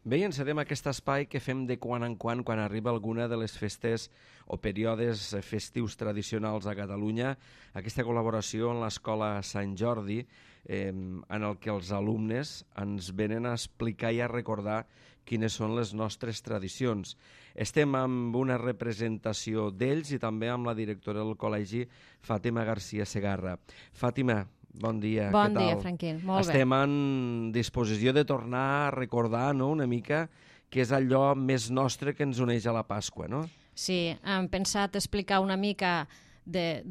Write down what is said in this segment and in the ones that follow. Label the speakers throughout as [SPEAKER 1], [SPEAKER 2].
[SPEAKER 1] Bé, encetem aquest espai que fem de quan en quan arriba alguna de les festes o períodes festius tradicionals a Catalunya, aquesta col·laboració en l'Escola Sant Jordi, en el que els alumnes ens venen a explicar i a recordar quines són les nostres tradicions. Estem amb una representació d'ells i també amb la directora del col·legi, Fàtima García Segarra. Fàtima, bon dia.
[SPEAKER 2] Bon dia, Franquín. Molt bé.
[SPEAKER 1] Estem en disposició de tornar a recordar, no?, una mica què és allò més nostre que ens uneix a la Pasqua, no?
[SPEAKER 2] Sí, hem pensat explicar una mica de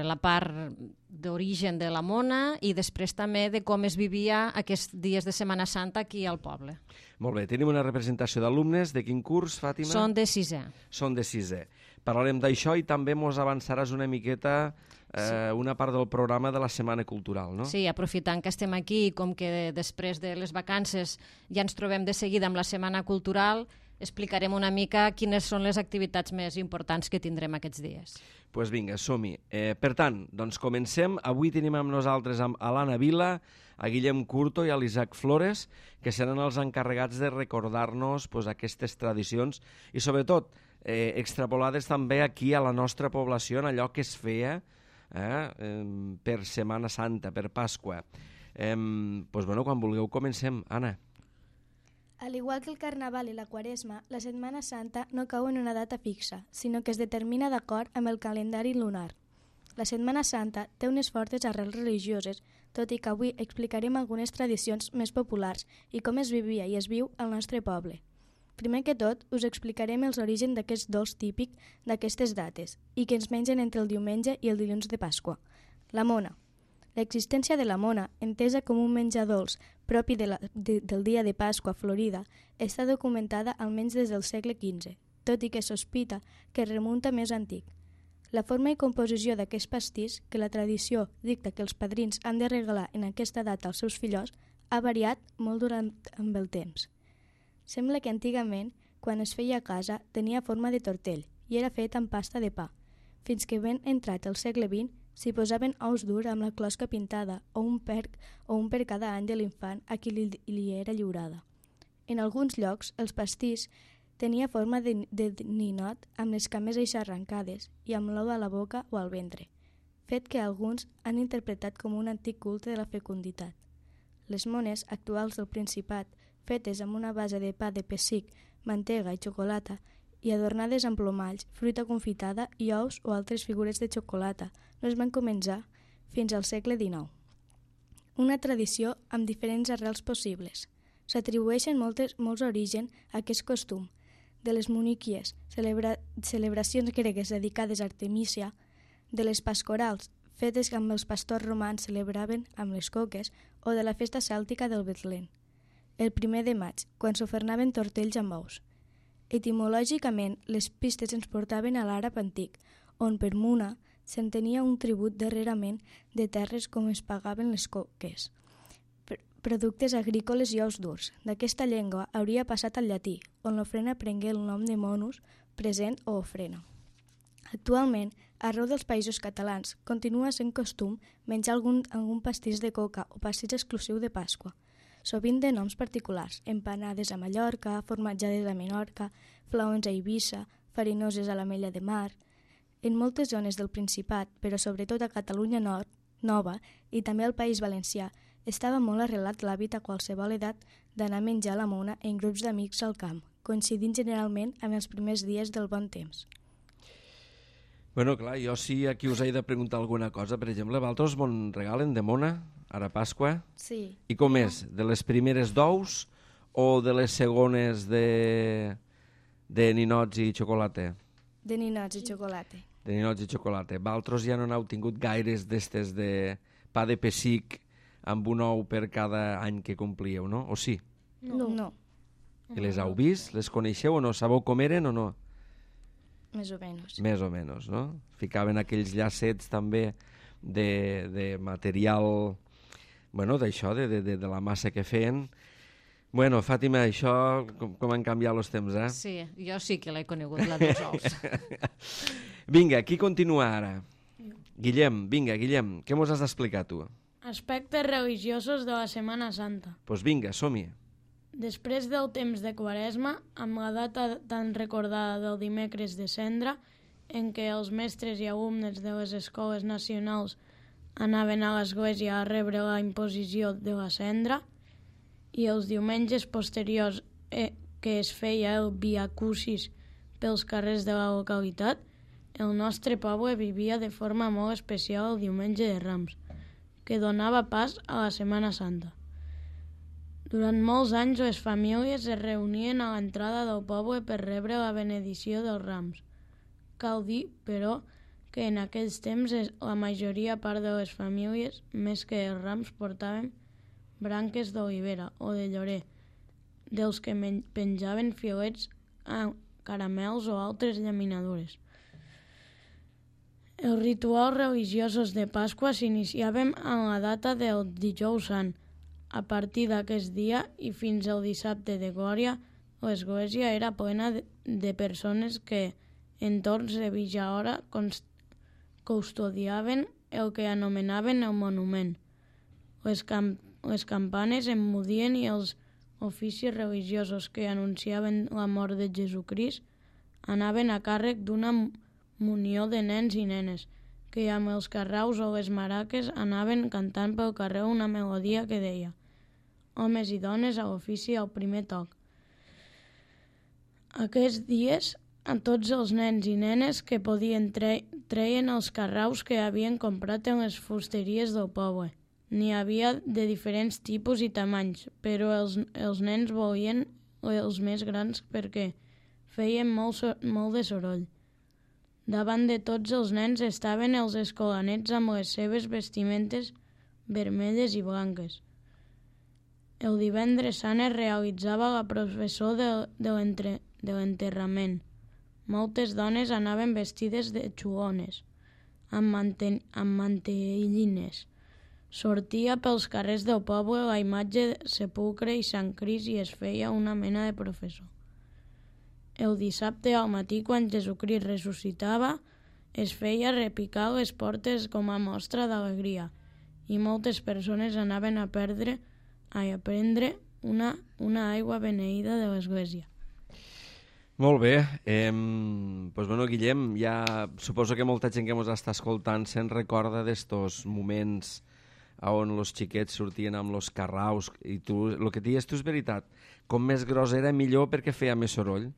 [SPEAKER 2] la part d'origen de la mona i després també de com es vivia aquests dies de Setmana Santa aquí al poble.
[SPEAKER 1] Molt bé, tenim una representació d'alumnes. De quin curs, Fàtima?
[SPEAKER 2] Són de sisè.
[SPEAKER 1] Són de sisè. Parlarem d'això i també mos avançaràs una miqueta una part del programa de la Setmana Cultural, no?
[SPEAKER 2] Sí, aprofitant que estem aquí, com que després de les vacances ja ens trobem de seguida amb la Setmana Cultural, explicarem una mica quines són les activitats més importants que tindrem aquests dies.
[SPEAKER 1] Doncs pues vinga, som-hi. Per tant, doncs comencem. Avui tenim amb nosaltres a l'Anna Vila, a Guillem Curto i a l'Isaac Flores, que seran els encarregats de recordar-nos pues, aquestes tradicions i sobretot extrapolades també aquí a la nostra població en allò que es feia per Setmana Santa, per Pasqua. Doncs bueno, quan vulgueu comencem, Anna.
[SPEAKER 3] Al igual que el Carnaval i la Quaresma, la Setmana Santa no cau en una data fixa, sinó que es determina d'acord amb el calendari lunar. La Setmana Santa té unes fortes arrels religioses, tot i que avui explicarem algunes tradicions més populars i com es vivia i es viu al nostre poble. Primer que tot, us explicarem els orígens d'aquest dolç típic d'aquestes dates i que ens mengen entre el diumenge i el dilluns de Pasqua. La mona. L'existència de la mona, entesa com un menjar dolç propi del dia de Pasqua a Florida, està documentada almenys des del segle XV, tot i que sospita que remunta més antic. La forma i composició d'aquest pastís, que la tradició dicta que els padrins han de regalar en aquesta data als seus fillots, ha variat molt durant amb el temps. Sembla que antigament, quan es feia a casa, tenia forma de tortell i era fet amb pasta de pa, fins que ben entrat el segle XX s'hi posaven ous durs amb la closca pintada o un per cada any de l'infant a qui li era lliurada. En alguns llocs, els pastís tenia forma de ninot amb les cames eixarrancades i amb l'ou a la boca o al ventre, fet que alguns han interpretat com un antic culte de la fecunditat. Les mones actuals del Principat, fetes amb una base de pa de pessic, mantega i xocolata, i adornades amb plomalls, fruita confitada i ous o altres figures de xocolata, no es van començar fins al segle XIX. Una tradició amb diferents arrels possibles. S'atribueixen molts orígens a aquest costum, de les muniquies, celebracions gregues dedicades a Artemísia, de les pascorals, fetes amb els pastors romans celebraven amb les coques, o de la festa cèltica del Betlem, el 1 de maig, quan s'ofernaven tortells amb ous. Etimològicament, les pistes ens portaven a l'àrab antic, on per muna s'entenia un tribut darrerament de terres com es pagaven les coques, productes agrícoles i ous durs. D'aquesta llengua hauria passat al llatí, on l'ofrena prengué el nom de monus, present o ofrena. Actualment, arreu dels països catalans, continua sent costum menjar algun pastís de coca o pastís exclusiu de Pasqua, sovint de noms particulars, empanades a Mallorca, formatjades a Menorca, flaons a Eivissa, farinoses a l'Ametlla de Mar. En moltes zones del Principat, però sobretot a Catalunya Nova i també al País Valencià, estava molt arrelat l'hàbit a qualsevol edat d'anar a menjar la mona en grups d'amics al camp, coincidint generalment amb els primers dies del bon temps.
[SPEAKER 1] Bueno, clar, jo sí aquí us he de preguntar alguna cosa. Per exemple, vosaltres me'n regalen de mona, ara Pasqua?
[SPEAKER 3] Sí.
[SPEAKER 1] I com és? De les primeres d'ous o de les segones de ninots i xocolata?
[SPEAKER 3] De ninots i xocolata.
[SPEAKER 1] De ninots i xocolata. Vosaltres ja no n'heu tingut gaires d'estes de pa de pessic amb un ou per cada any que complíeu, no? O sí?
[SPEAKER 3] No.
[SPEAKER 1] I les heu vist? Les coneixeu o no? Sabeu com eren o no?
[SPEAKER 3] Més o menys.
[SPEAKER 1] Més o menys, no? Ficaven aquells llacets també de material, bueno, d'això, de la massa que feien. Bueno, Fàtima, això com han canviat els temps, eh?
[SPEAKER 2] Sí, jo sí que l'he conegut, la dels ous.
[SPEAKER 1] Vinga, qui continua ara? Guillem, què mos has d'explicar tu?
[SPEAKER 4] Aspectes religiosos de la Setmana Santa.
[SPEAKER 1] Doncs vinga, som-hi.
[SPEAKER 4] Després del temps de Quaresma, amb la data tan recordada del dimecres de Cendra, en què els mestres i alumnes de les escoles nacionals anaven a l'església a rebre la imposició de la cendra, i els diumenges posteriors que es feia el Via Crucis pels carrers de la localitat, el nostre poble vivia de forma molt especial el diumenge de Rams, que donava pas a la Setmana Santa. Durant molts anys les famílies es reunien a l'entrada del poble per rebre la benedicció dels Rams. Cal dir, però, que en aquells temps la majoria part de les famílies, més que els rams, portaven branques d'olivera o de llorer, dels que penjaven filets a caramels o altres llaminadures. Els rituals religiosos de Pasqua s'iniciaven en la data del Dijous Sant. A partir d'aquest dia i fins al dissabte de Glòria, l'església era plena de persones que, en torns de mitja hora, custodiaven el que anomenaven el monument. Les campanes emmudien i els oficis religiosos que anunciaven la mort de Jesucrist anaven a càrrec d'una munió de nens i nenes, que amb els carraus o les maraques anaven cantant pel carrer una melodia que deia «Homes i dones a l'ofici al primer toc». Aquests dies, a tots els nens i nenes que podien treien els carraus que havien comprat en les fusteries del poble. N'hi havia de diferents tipus i tamanys, però els nens volien els més grans perquè feien molt de soroll. Davant de tots els nens estaven els escolanets amb les seves vestimentes vermelles i blanques. El divendres sant es realitzava la processó de l'enterrament. Moltes dones anaven vestides de xulones, amb mantellines. Sortia pels carrers del poble la imatge de Sepulcre i Sant Crist i es feia una mena de processó. El dissabte al matí, quan Jesucrist ressuscitava, es feia repicar les portes com a mostra d'alegria i moltes persones anaven a prendre una aigua beneïda de l'església.
[SPEAKER 1] Molt bé. Guillem, ja suposo que molta gent que ens està escoltant se'n recorda d'estos moments on els xiquets sortien amb els carraus i tu, el que dius tu és veritat, com més gros era millor perquè feia més soroll.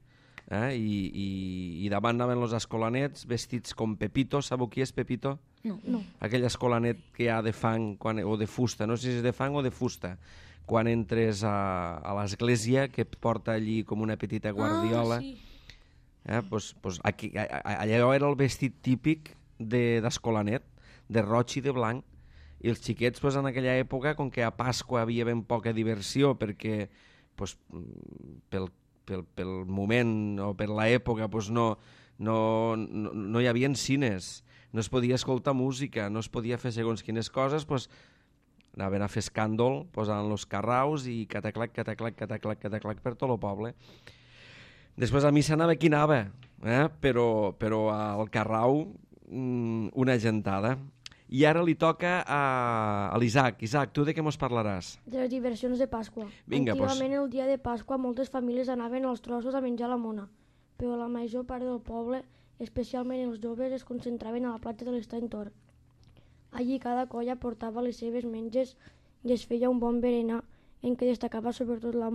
[SPEAKER 1] I davant anaven els escolanets vestits com Pepito. Sabeu qui és Pepito?
[SPEAKER 3] No.
[SPEAKER 1] Aquell escolanet que hi ha de fang o de fusta, no sé si és de fang o de fusta, quan entres a l'església, que porta allí com una petita guardiola.
[SPEAKER 4] Sí.
[SPEAKER 1] Allò era el vestit típic d'escolanet, de roig i de blanc, i els xiquets en aquella època, com que a Pasqua havia ben poca diversió perquè pel moment o per l'època no hi havia cines, no es podia escoltar música, no es podia fer segons quines coses, anaven a fer escàndol, posant els carraus i cataclac per tot el poble. Després a missa anava qui anava, però al carrau una gentada. I ara li toca a l'Isaac. Isaac, tu de què mos parlaràs?
[SPEAKER 5] De les diversions de Pasqua.
[SPEAKER 1] Vinga,
[SPEAKER 5] Antigament, el dia de Pasqua, moltes famílies anaven als trossos a menjar la mona, però la major part del poble, especialment els joves, es concentraven a la platja de l'Estany Tor. Allí cada colla portava les seves menges i es feia un bon berenar en què destacava sobretot la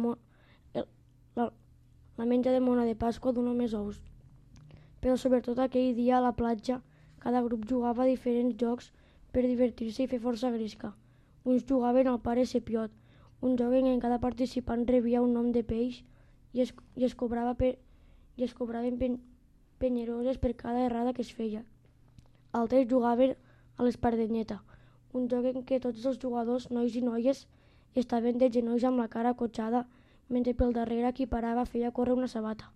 [SPEAKER 5] menja de mona de Pasqua d'un o més ous. Però sobretot aquell dia a la platja cada grup jugava a diferents jocs per divertir-se i fer força gresca. Uns jugaven al pare Sepiot, un joc en què cada participant rebia un nom de peix i es cobraven penyeroses per cada errada que es feia. Altres jugaven a l'espardenyeta, un joc en què tots els jugadors, nois i noies, estaven de genolls amb la cara acotxada, mentre pel darrere qui parava feia córrer una sabata,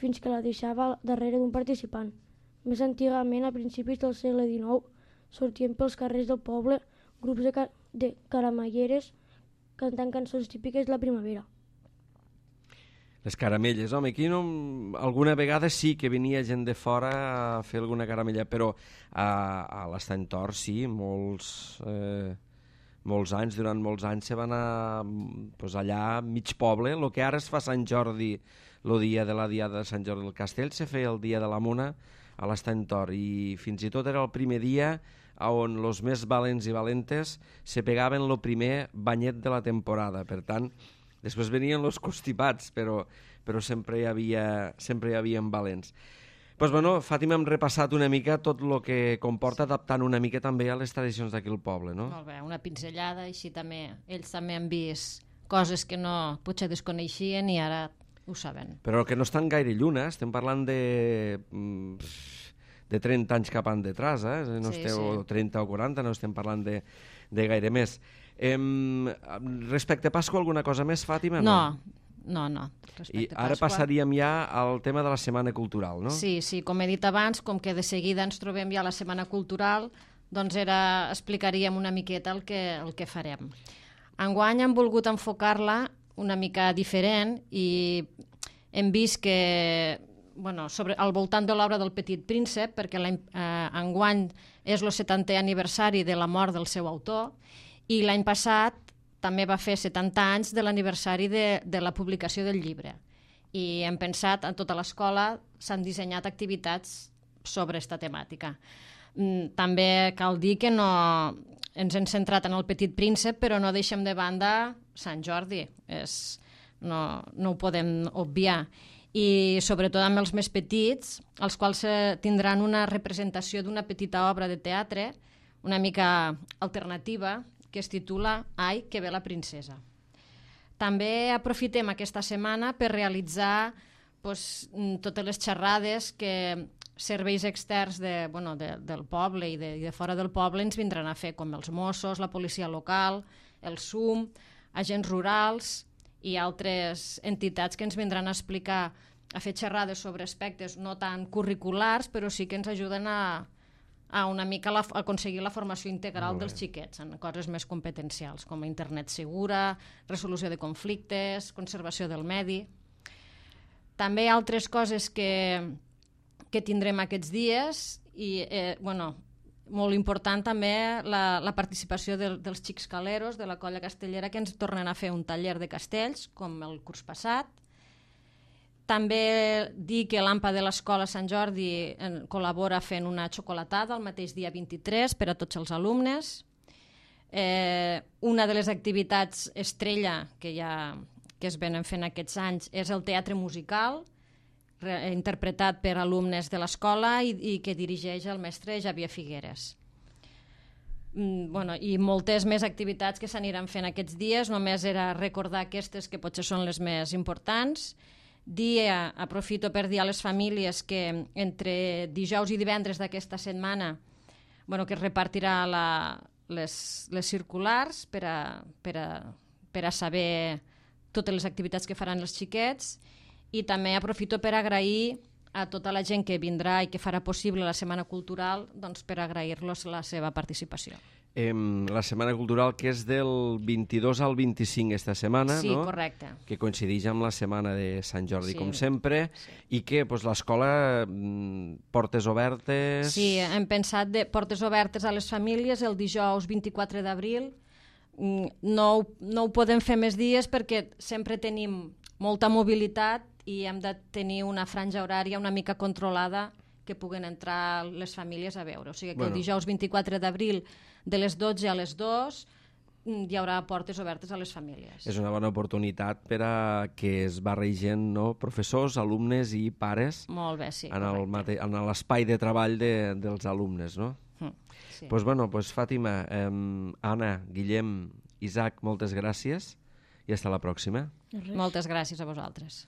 [SPEAKER 5] fins que la deixava darrere d'un participant. Més antigament, a principis del segle XIX, sortien pels carrers del poble grups de caramelleres cantant cançons típiques de la primavera.
[SPEAKER 1] Les caramelles, home, aquí alguna vegada sí que venia gent de fora a fer alguna caramella, però a l'Estany Tor sí, durant molts anys se va anar allà mig poble, el que ara es fa Sant Jordi, el dia de la Diada de Sant Jordi del Castell, se feia el dia de la Mona a l'Estany Tor, i fins i tot era el primer dia on els més valents i valentes se pegaven el primer banyet de la temporada. Per tant, després venien els constipats, però sempre hi havia valents. Doncs bueno, Fàtima, hem repassat una mica tot el que comporta, adaptant una mica també a les tradicions d'aquell poble, no?
[SPEAKER 2] Molt bé, una pinzellada, així també ells també han vist coses que potser desconeixien i ara ho saben.
[SPEAKER 1] Però que no estan gaire lluny, estem parlant de 30 anys cap endetrás, no esteu, o 30 o 40, no estem parlant de gaire més. Respecte a Pasqua, alguna cosa més, Fàtima?
[SPEAKER 2] No.
[SPEAKER 1] I ara passaríem ja al tema de la Setmana Cultural, no?
[SPEAKER 2] Sí, com he dit abans, com que de seguida ens trobem ja a la Setmana Cultural, doncs explicaríem una miqueta el que farem. Enguany hem volgut enfocar-la una mica diferent i hem vist que al voltant de l'obra del Petit Príncep, perquè enguany és el 70è aniversari de la mort del seu autor, i l'any passat també va fer 70 anys de l'aniversari de la publicació del llibre. I hem pensat, en tota l'escola s'han dissenyat activitats sobre aquesta temàtica. També cal dir que ens hem centrat en el Petit Príncep, però no deixem de banda Sant Jordi. No ho podem obviar. I sobretot amb els més petits, els quals tindran una representació d'una petita obra de teatre, una mica alternativa, que es titula Ai, que ve la princesa. També aprofitem aquesta setmana per realitzar totes les xerrades que serveis externs del poble i de fora del poble ens vindran a fer, com els Mossos, la policia local, el SUM, agents rurals i altres entitats que ens vindran a explicar, a fer xerrades sobre aspectes no tan curriculars, però sí que ens ajuden a una mica aconseguir la formació integral dels xiquets en coses més competencials, com internet segura, resolució de conflictes, conservació del medi. També altres coses que tindrem aquests dies i, molt important també la participació dels xics caleros de la colla castellera, que ens tornen a fer un taller de castells, com el curs passat. També dir que l'AMPA de l'Escola Sant Jordi col·labora fent una xocolatada el mateix dia 23 per a tots els alumnes. Una de les activitats estrella que es venen fent aquests anys és el teatre musical, interpretat per alumnes de l'escola i que dirigeix el mestre Xavier Figueres. I moltes més activitats que s'aniran fent aquests dies, només era recordar aquestes que potser són les més importants. Aprofito per dir a les famílies que entre dijous i divendres d'aquesta setmana que es repartirà les circulars per a saber totes les activitats que faran els xiquets, i també aprofito per agrair a tota la gent que vindrà i que farà possible la Setmana Cultural, per agrair-los la seva participació.
[SPEAKER 1] La Setmana Cultural, que és del 22 al 25 esta setmana,
[SPEAKER 2] sí,
[SPEAKER 1] no?
[SPEAKER 2] Correcte.
[SPEAKER 1] Que coincideix amb la Setmana de Sant Jordi, com sempre, i que l'escola, portes obertes...
[SPEAKER 2] Sí, hem pensat de portes obertes a les famílies el dijous 24 d'abril. No ho podem fer més dies perquè sempre tenim molta mobilitat i hem de tenir una franja horària una mica controlada que puguen entrar les famílies a veure. O sigui que el dijous 24 d'abril de les 12 a les 2 hi haurà portes obertes a les famílies.
[SPEAKER 1] És una bona oportunitat per a que es barregen, no? Professors, alumnes i pares.
[SPEAKER 2] Molt bé, sí.
[SPEAKER 1] En l'espai de treball dels alumnes, no?
[SPEAKER 2] Sí.
[SPEAKER 1] Doncs Fàtima, Anna, Guillem, Isaac, moltes gràcies i fins la pròxima.
[SPEAKER 2] Moltes gràcies a vosaltres.